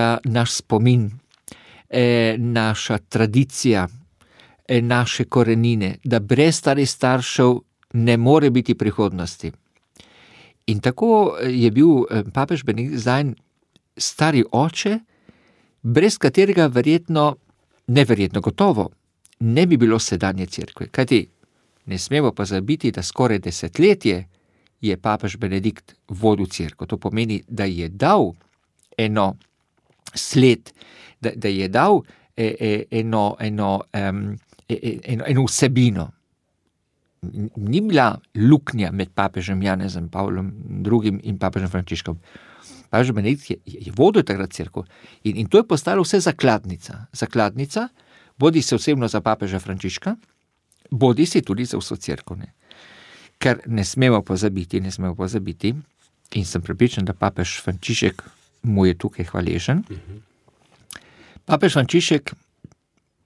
spomin, naša tradicija, naše korenine, da brez starih staršev ne more biti prihodnosti. In tako je bil papež Benedikt zdaj stari oče, brez katerega neverjetno gotovo ne bi bilo sedanje cerkve. Kajti ne smemo pa zabiti, da skoraj desetletje je papež Benedikt vodil cerkev. To pomeni, da je dal eno sled, da je dal eno vsebino. Ni bila luknja med papežem Janezom Pavlom II in papežem Frančiškom. Papež Benedikt je vodil takrat cerkev in to je postalo vse zakladnica. Zakladnica, bodi se osebno za papeža Frančiška, bodi se tudi za vso cerkev. Ker ne smemo pozabiti, in sem prepričan, da papež Frančišek mu je tukaj hvaležen. Papež Frančišek,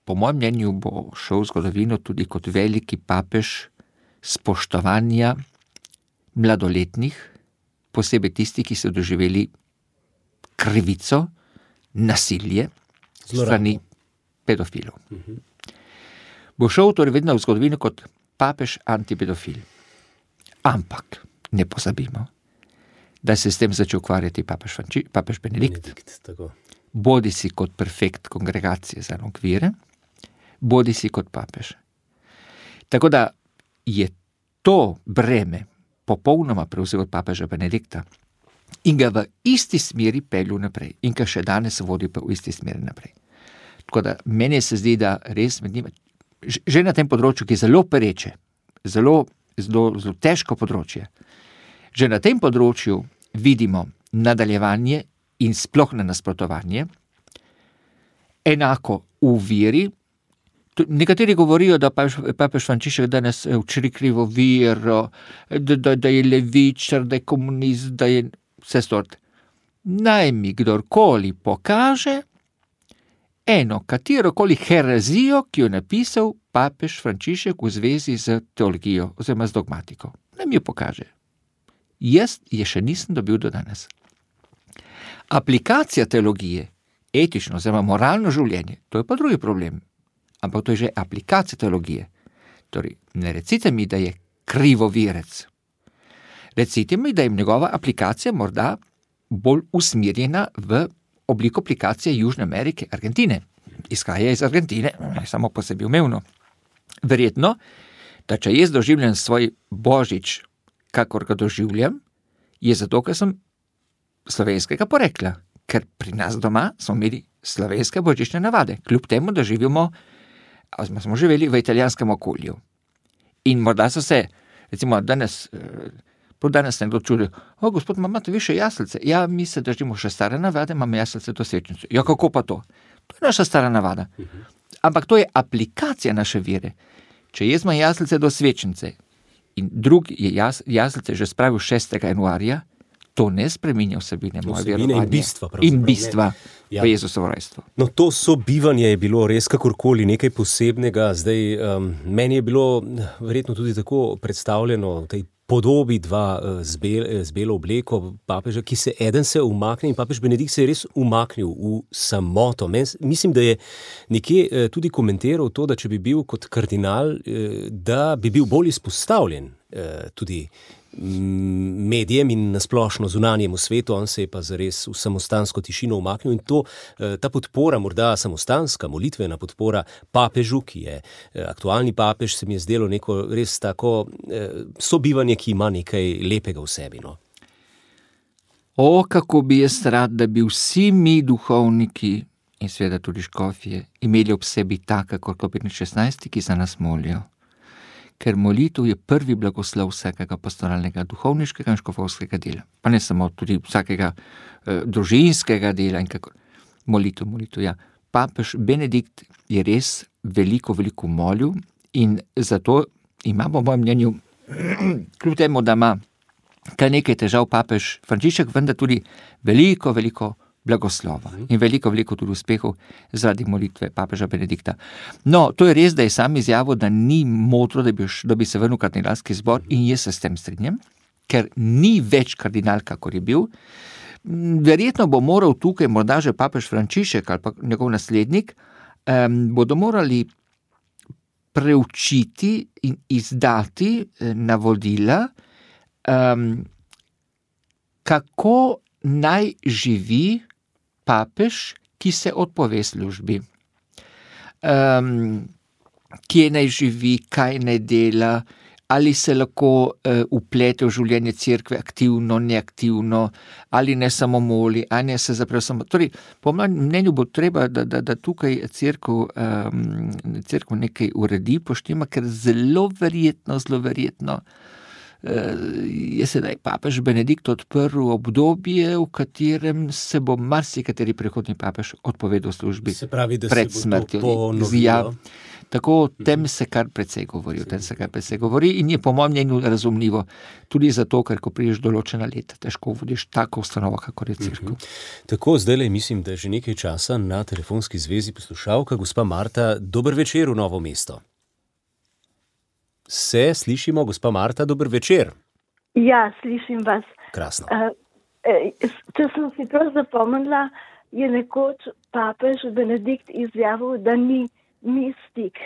po mojem mnenju, bo šel v zgodovino tudi kot veliki papež spoštovanja mladoletnih, posebej tisti, ki so doživeli krivico, nasilje strani pedofilov. Bo šel torej vedno v zgodovino kot papež antipedofil. Ampak ne pozabimo, da se s tem začel ukvarjati papež Benedikt, bodi si kot prefekt kongregacije za okvire, bodi si kot papež. Tako da je to breme popolnoma prevzel od papeža Benedikta in ga v isti smeri peljal naprej in ga še danes vodi pa v isti smeri naprej. Tako da meni se zdi, da res med njima, že na tem področju, ki je zelo pereče, zelo težko področje, že na tem področju vidimo nadaljevanje in sploh ne nasprotovanje, enako v veri. Nekateri govorijo, da papež Frančišek danes učri krivo vero, da je levičar, da je komunist, da je vse stort. Naj mi kdorkoli pokaže eno katerokoli herezijo, ki jo je napisal papež Frančišek v zvezi z teologijo oziroma z dogmatiko. Naj mi jo pokaže. Jaz je še nisem dobil do danes. Aplikacija teologije, etično oziroma moralno življenje, to je pa drugi problem. Ampak to je že aplikacija teologije. Torej, ne recite mi, da je krivovirec. Recite mi, da je njegova aplikacija morda bolj usmerjena v obliko aplikacije Južne Amerike, Argentine. Izhaja iz Argentine, samo po sebi umevno. Verjetno, da če jaz doživljam svoj božič, kakor ga doživljam, je zato, ker sem slovenskega porekla. Ker pri nas doma smo imeli slovenske božične navade, kljub temu, da smo živeli v italijanskem okolju. In morda so se, recimo danes nekdo čudi, gospod, imate vi še jaslice? Ja, mi se držimo še stare navade, imamo jaslice do svečnice. Ja, kako pa to? To je naša stara navada. Ampak to je aplikacija naše vere. Če jaz imam jaslice do svečnice in drug je jaslice že spravil 6. januarja, to ne spreminja vsebine moje verovanje. In bistva v Jezusovo rojstvo. No, to sobivanje je bilo res kakorkoli nekaj posebnega. Zdaj, meni je bilo verjetno tudi tako predstavljeno v tej podobi dva z belo obleko papeža, ki se eden se umakne in papež Benedikt se je res umaknil v samoto. Mislim, da je nekje tudi komentiral to, da če bi bil kot kardinal, da bi bil bolj izpostavljen tudi medijem in nasplošno zunanjemu svetu, on se je pa zares v samostansko tišino umaknil in ta podpora, morda samostanska, molitvena podpora papežu, ki je aktualni papež, se mi je zdelo neko res tako sobivanje, ki ima nekaj lepega v sebi. No? Kako bi jaz rad, da bi vsi mi duhovniki in seveda tudi škofje imeli ob sebi taka kot Kleopen XVI, ki za nas molijo. Ker molitev je prvi blagoslov vsakega pastoralnega, duhovniškega in škofovskega dela. Pa ne samo, tudi vsakega družinskega dela in kako. Molitev, ja. Papež Benedikt je res veliko molil in zato ima, po mojem mnenju, kljub temu, da ima kar nekaj težav papež Frančišek, vendar tudi veliko blagoslova in veliko tudi uspehov zaradi molitve papeža Benedikta. No, to je res, da je sam izjavil, da ni modro, da bi se vrnil kardinalski zbor in jaz se s tem strinjam, ker ni več kardinal, kakor je bil. Verjetno bo moral tukaj morda že papež Frančišek ali pa njegov naslednik, bodo morali preučiti in izdati navodila, kako naj živi papež, ki se odpove službi. Kje naj živi, kaj naj dela, ali se lahko vplete v življenje cerkve aktivno, neaktivno, ali ne samo moli, ali ne se zapre samo. Torej, po mojem mnenju bo treba, da tukaj cerkev nekaj uredi, poštima, ker zelo verjetno je sedaj papež Benedikt odprl obdobje, v katerem se bo marsikateri prihodnji papež odpovedal službi pred smrtjo. Tako o tem se kar precej govori, in je po mojem mnenju razumljivo, tudi zato, ker ko prideš določena leta, težko vodiš tako ustanovo, kakor je cerkev. Tako, zdajle mislim, da je že nekaj časa na telefonski zvezi poslušalka, gospa Marta. Dober večer v Novo mesto. Se slišimo, gospa Marta, dober večer. Ja, slišim vas. Krasno. Če sem si prav zapomnila, je nekoč papež Benedikt izjavil, da ni mistik.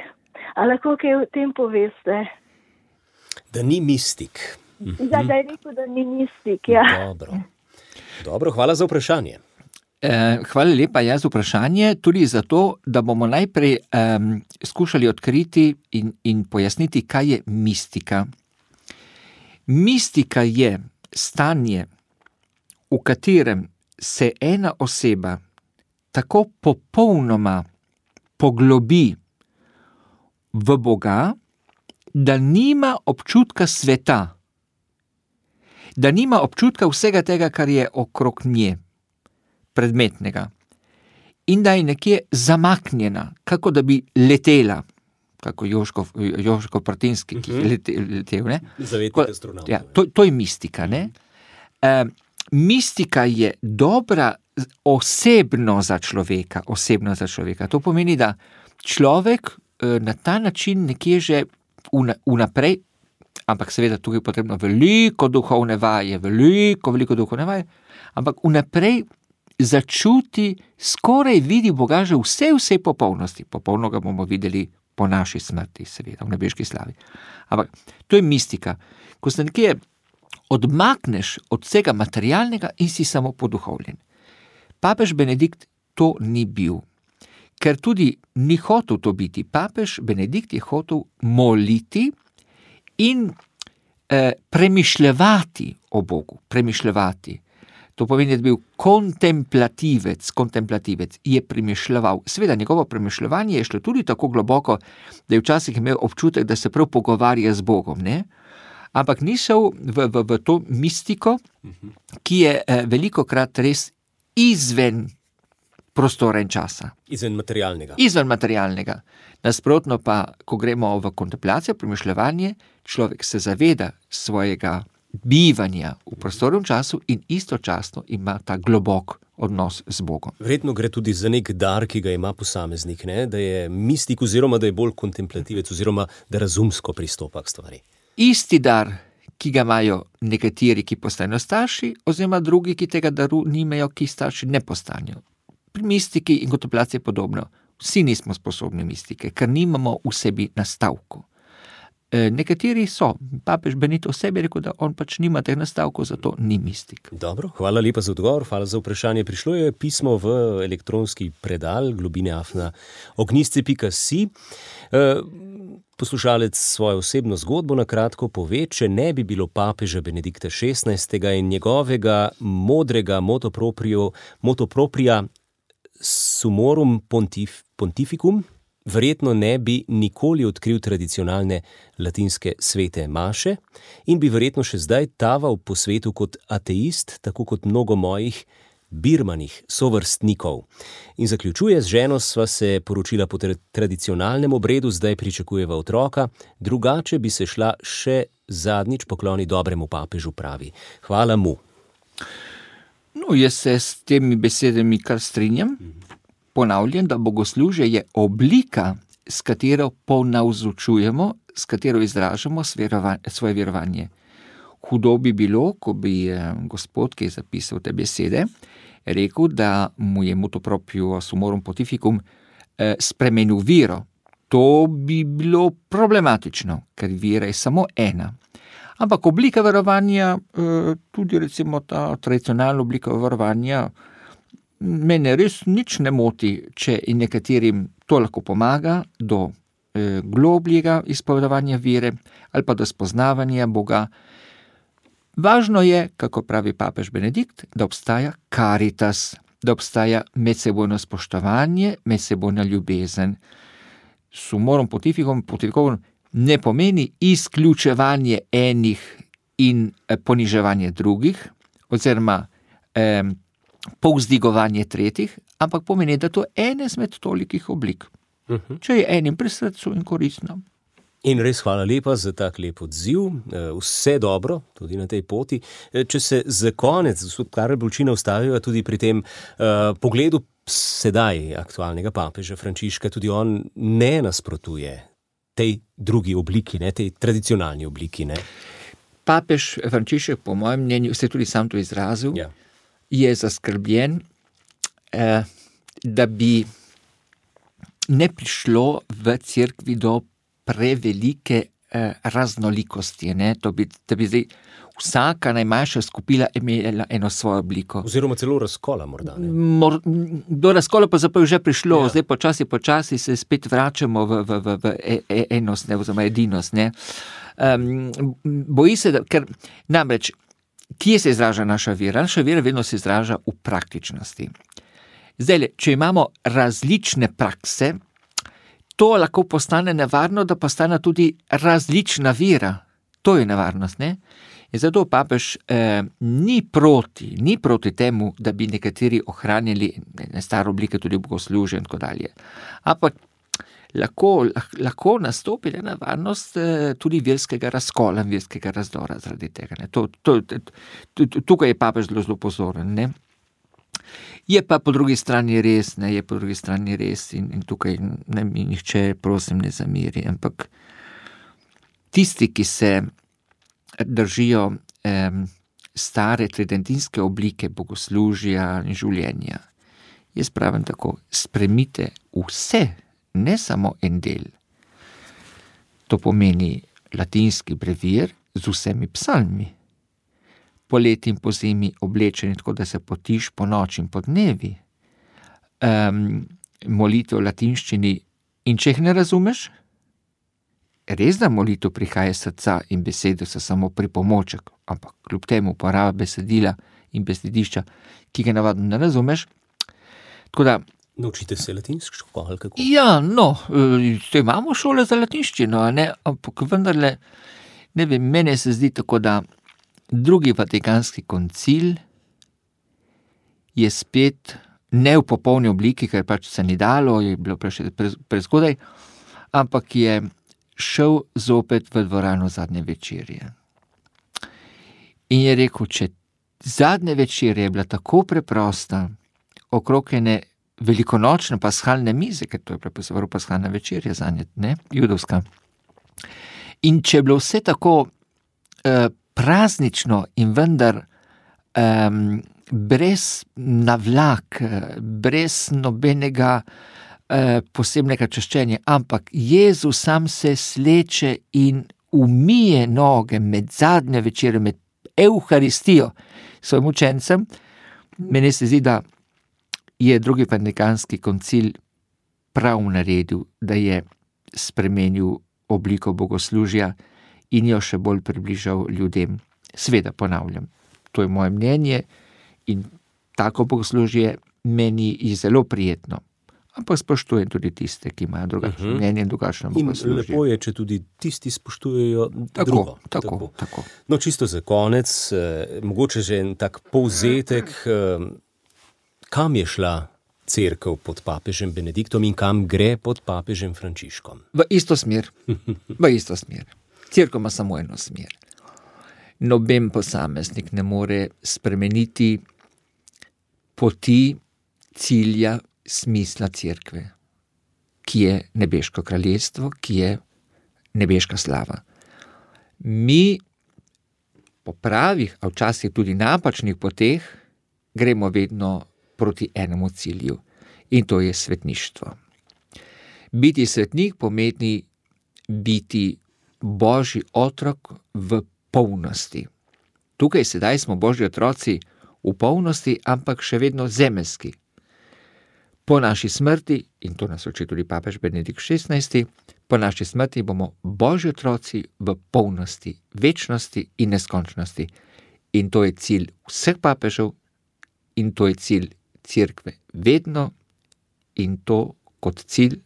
A lahko kaj o tem poveste? Da ni mistik. Ja, da je rekel, da ni mistik, ja. Dobro, hvala za vprašanje. Hvala lepa za vprašanje, tudi zato, da bomo najprej skušali odkriti in pojasniti, kaj je mistika. Mistika je stanje, v katerem se ena oseba tako popolnoma poglobi v Boga, da nima občutka sveta, da nima občutka vsega tega, kar je okrog nje, predmetnega, in da je nekje zamaknjena, kako da bi letela, kako Jožko Pratinski, ki je letel, ne? Zavetnik astronaut. Ja, to je mistika, ne? Mistika je dobra osebno za človeka. To pomeni, da človek na ta način nekje že vnaprej, ampak seveda tukaj je potrebno veliko duhovne vaje, ampak vnaprej začuti, skoraj vidi Boga že vse popolnosti. Popolno ga bomo videli po naši smrti, seveda, v nebeški slavi. Ampak to je mistika. Ko se nekje odmakneš od vsega materialnega in si samo poduhovljen. Papež Benedikt to ni bil, ker tudi ni hotel to biti. Papež Benedikt je hotel moliti in premišljevati o Bogu, To pomeni, da je bil kontemplativec, je premišljeval. Seveda, njegovo premišljevanje je šlo tudi tako globoko, da je včasih imel občutek, da se prav pogovarja z Bogom, ne? Ampak ni šel v to mistiko, ki je velikokrat res izven prostora in časa. Izven materialnega. Nasprotno pa, ko gremo v kontemplacijo, premišljevanje, človek se zaveda svojega bivanja v prostoru in času in istočasno ima ta globok odnos z Bogom. Verjetno gre tudi za nek dar, ki ga ima posameznik, ne? Da je mistik oziroma da je bolj kontemplativec oziroma da razumsko pristopa k stvari. Isti dar, ki ga imajo nekateri, ki postanejo starši, oziroma drugi, ki tega daru nimajo, ki starši ne postanejo. Pri mistiki in kontemplaciji je podobno. Vsi nismo sposobni mistike, ker nimamo v sebi nastavku. nekateri so. Papež Benito sebi rekel, da on pač nima teh nastavkov, zato ni mistik. Dobro, hvala lepa za odgovor, hvala za vprašanje. Prišlo je pismo v elektronski predal globine@ognjisce.si. Poslušalec svojo osebno zgodbo na kratko pove, če ne bi bilo papeža Benedikta XVI. In njegovega modrega motopropria Sumorum Pontificum, verjetno ne bi nikoli odkril tradicionalne latinske svete maše in bi verjetno še zdaj taval po svetu kot ateist, tako kot mnogo mojih birmanih sovrstnikov. In zaključuje: z ženo sva se poročila po tradicionalnem obredu, zdaj pričakujeva otroka, drugače bi se šla še zadnjič pokloniti dobremu papežu, pravi. Hvala mu. No, jaz se s temi besedami kar strinjam. Ponavljam, da bogoslužje je oblika, s katero ponavzučujemo, s katero izražamo svoje verovanje. Hudo bi bilo, ko bi gospod, ki je zapisal te besede, rekel, da mu je motoproprio Sumorum Pontificum spremenil vero. To bi bilo problematično, ker vera je samo ena. Ampak oblika verovanja, tudi recimo ta tradicionalna oblika verovanja, mene res nič ne moti, če in nekaterim to lahko pomaga do globljega izpovedovanja vere ali pa do spoznavanja Boga. Važno je, kako pravi papež Benedikt, da obstaja caritas, da obstaja medsebojno spoštovanje, medsebojna ljubezen. Sumorum Pontificum ne pomeni izključevanje enih in poniževanje drugih, oziroma povzdigovanje tretjih, ampak pomeni, da to je ena izmed tolikih oblik. Če je enim pri srcu in koristno. In res hvala lepa za tak lep odziv, vse dobro, tudi na tej poti. Če se za konec, gospod Karel Bulčina, ustaviva tudi pri tem pogledu sedaj aktualnega papeža Frančiška, tudi on ne nasprotuje tej drugi obliki, ne, tej tradicionalni obliki. Ne. Papež Frančišek, po mojem mnenju, se tudi sam to izrazil, je zaskrbljen, da bi ne prišlo v cerkvi do prevelike raznolikosti, ne? Da bi zdaj vsaka najmanjša skupina imela eno svojo obliko. Oziroma celo razkola morda. Do razkola pa zapravo že prišlo, zdaj počasi se spet vračamo v enost, ne, oziroma edinost. Ne? Boji se, ker namreč, kje se izraža naša vera? Naša vera vedno se izraža v praktičnosti. Zdaj, če imamo različne prakse, to lahko postane nevarno, da postane tudi različna vera. To je nevarnost, ne? In zato papež ni proti temu, da bi nekateri ohranili stare oblike tudi bogoslužja in tako dalje. Ampak lahko nastopi nevarnost tudi verskega razkola, verskega razdora zaradi tega. Ne? Tukaj je papež zelo pozoren, ne? Je pa po drugi strani res, in tukaj ne mi nihče, prosim, ne zamiri, ampak tisti, ki se držijo stare tridentinske oblike bogoslužja in življenja, jaz pravim tako, spremite vse, ne samo en del. To pomeni latinski brevir z vsemi psalmi. Poleti in po zimi oblečeni tako, da se potiš po noči in po dnevi. Molitev v latinščini, in če jih ne razumeš, res da molitev prihaja iz srca in besede so samo pripomoček, ampak kljub temu uporaba besedila in besedišča, ki ga navadno ne razumeš. Tako da naučite se latinsko, ali kako? Ja, imamo šole za latinščino, ne? Ampak vendarle, ne vem, mene se zdi tako, da Drugi Vatikanski koncil je spet ne v popolni obliki, ker pač se ni dalo, je bilo prezgodaj, ampak je šel zopet v dvorano zadnje večerje. In je rekel, če zadnje večerje je bila tako preprosta, okrog ene velikonočne paskalne mize, ker to je prepozoval paskalna večerja zanje, ne, judovska. In če je bilo vse tako praznično in vendar brez navlak, brez nobenega posebnega čaščenja, ampak Jezus sam se sleče in umije noge med zadnjo večerjo, med Evharistijo svojim učencem, meni se zdi, da je drugi Vatikanski koncil prav naredil, da je spremenil obliko bogoslužja in jo še bolj približal ljudem. Sveda ponavljam, to je moje mnenje in tako bogoslužje meni je zelo prijetno. Ampak spoštujem tudi tiste, ki imajo drugačno mnenje in drugačno bogoslužje. In lepo je, če tudi tisti spoštujejo drugo. Tako. No, čisto za konec, mogoče že en tak povzetek, kam je šla cerkev pod papežem Benediktom in kam gre pod papežem Frančiškom? V isto smer. Cerkev ima samo eno smer. Noben posameznik ne more spremeniti poti, cilja, smisla cerkve, ki je nebeško kraljestvo, ki je nebeška slava. Mi po pravih, a včasih tudi napačnih poteh, gremo vedno proti enemu cilju in to je svetništvo. Biti svetnik pomeni biti Božji otrok v polnosti. Tukaj sedaj smo Božji otroci v polnosti, ampak še vedno zemeljski. Po naši smrti, in to nas uči tudi papež Benedikt XVI, po naši smrti bomo Božji otroci v polnosti, večnosti in neskončnosti. In to je cilj vseh papežev in to je cilj cerkve vedno in to kot cilj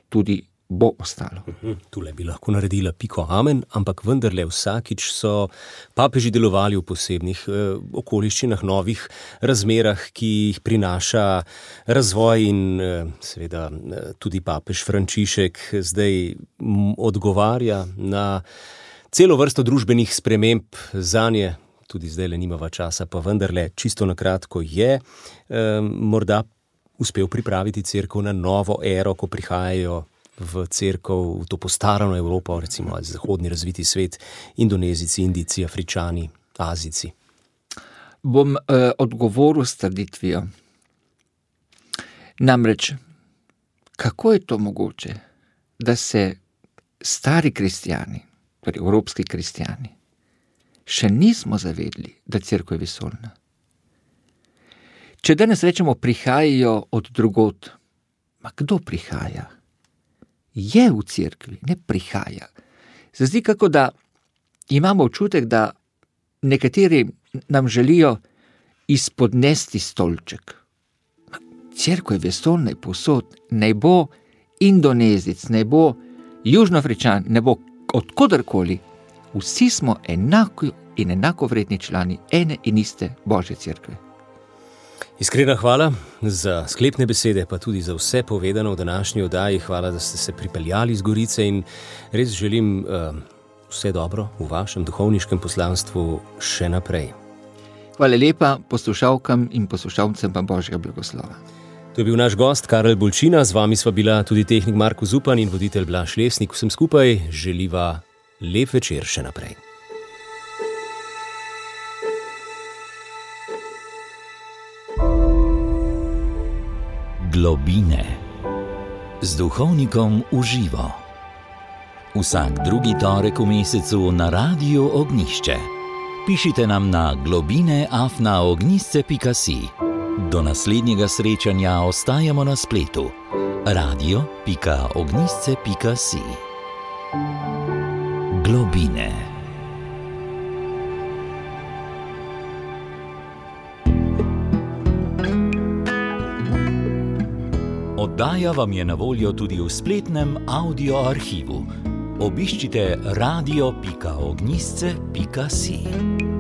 tudi bo ostalo. Tule bi lahko naredila piko amen, ampak vendarle vsakič so papeži delovali v posebnih okoliščinah, novih razmerah, ki jih prinaša razvoj in seveda tudi papež Frančišek zdaj odgovarja na celo vrsto družbenih sprememb zanje. Tudi zdajle nimava časa, pa vendarle čisto na kratko je morda uspel pripraviti cerkev na novo ero, ko prihajajo v cerkev, v to postarano Evropo, recimo zahodni razviti svet, Indonezijci, Indijci, Afričani, Azijci. Bom odgovoril s trditvijo. Namreč, kako je to mogoče, da se stari kristjani, torej evropski kristjani, še nismo zavedli, da cerkev je vesoljna? Če danes rečemo, prihajajo od drugod, ma kdo prihaja? Je v cerkvi, ne prihaja. Se zdi, kako da imamo občutek, da nekateri nam želijo izpodnesti stolček. Cerkev je vesoljna in povsod, naj bo Indonezijec, naj bo Južnoafričan, ne bo odkodarkoli. Vsi smo enako in enakovredni člani ene in iste Božje cerkve. Iskrena hvala za sklepne besede, pa tudi za vse povedano v današnji oddaji. Hvala, da ste se pripeljali iz Gorice in res želim vse dobro v vašem duhovniškem poslanstvu še naprej. Hvala lepa poslušalkam in poslušalcem pa Božjega blagoslova. To je bil naš gost Karel Bolčina, z vami sva bila tudi tehnik Marko Zupan in voditelj Blaž Lesnik. Vsem skupaj želiva lep večer še naprej. Globine z duhovnikom v živo. Vsak drugi torek v mesecu na Radiu Ognjišče. Pišite nam na globine@ognjišče.si. Do naslednjega srečanja ostajamo na spletu radio.ognjišče.si. Globine. Oddaja vam je na voljo tudi v spletnem audio arhivu. Obiščite radio.ognjišče.si.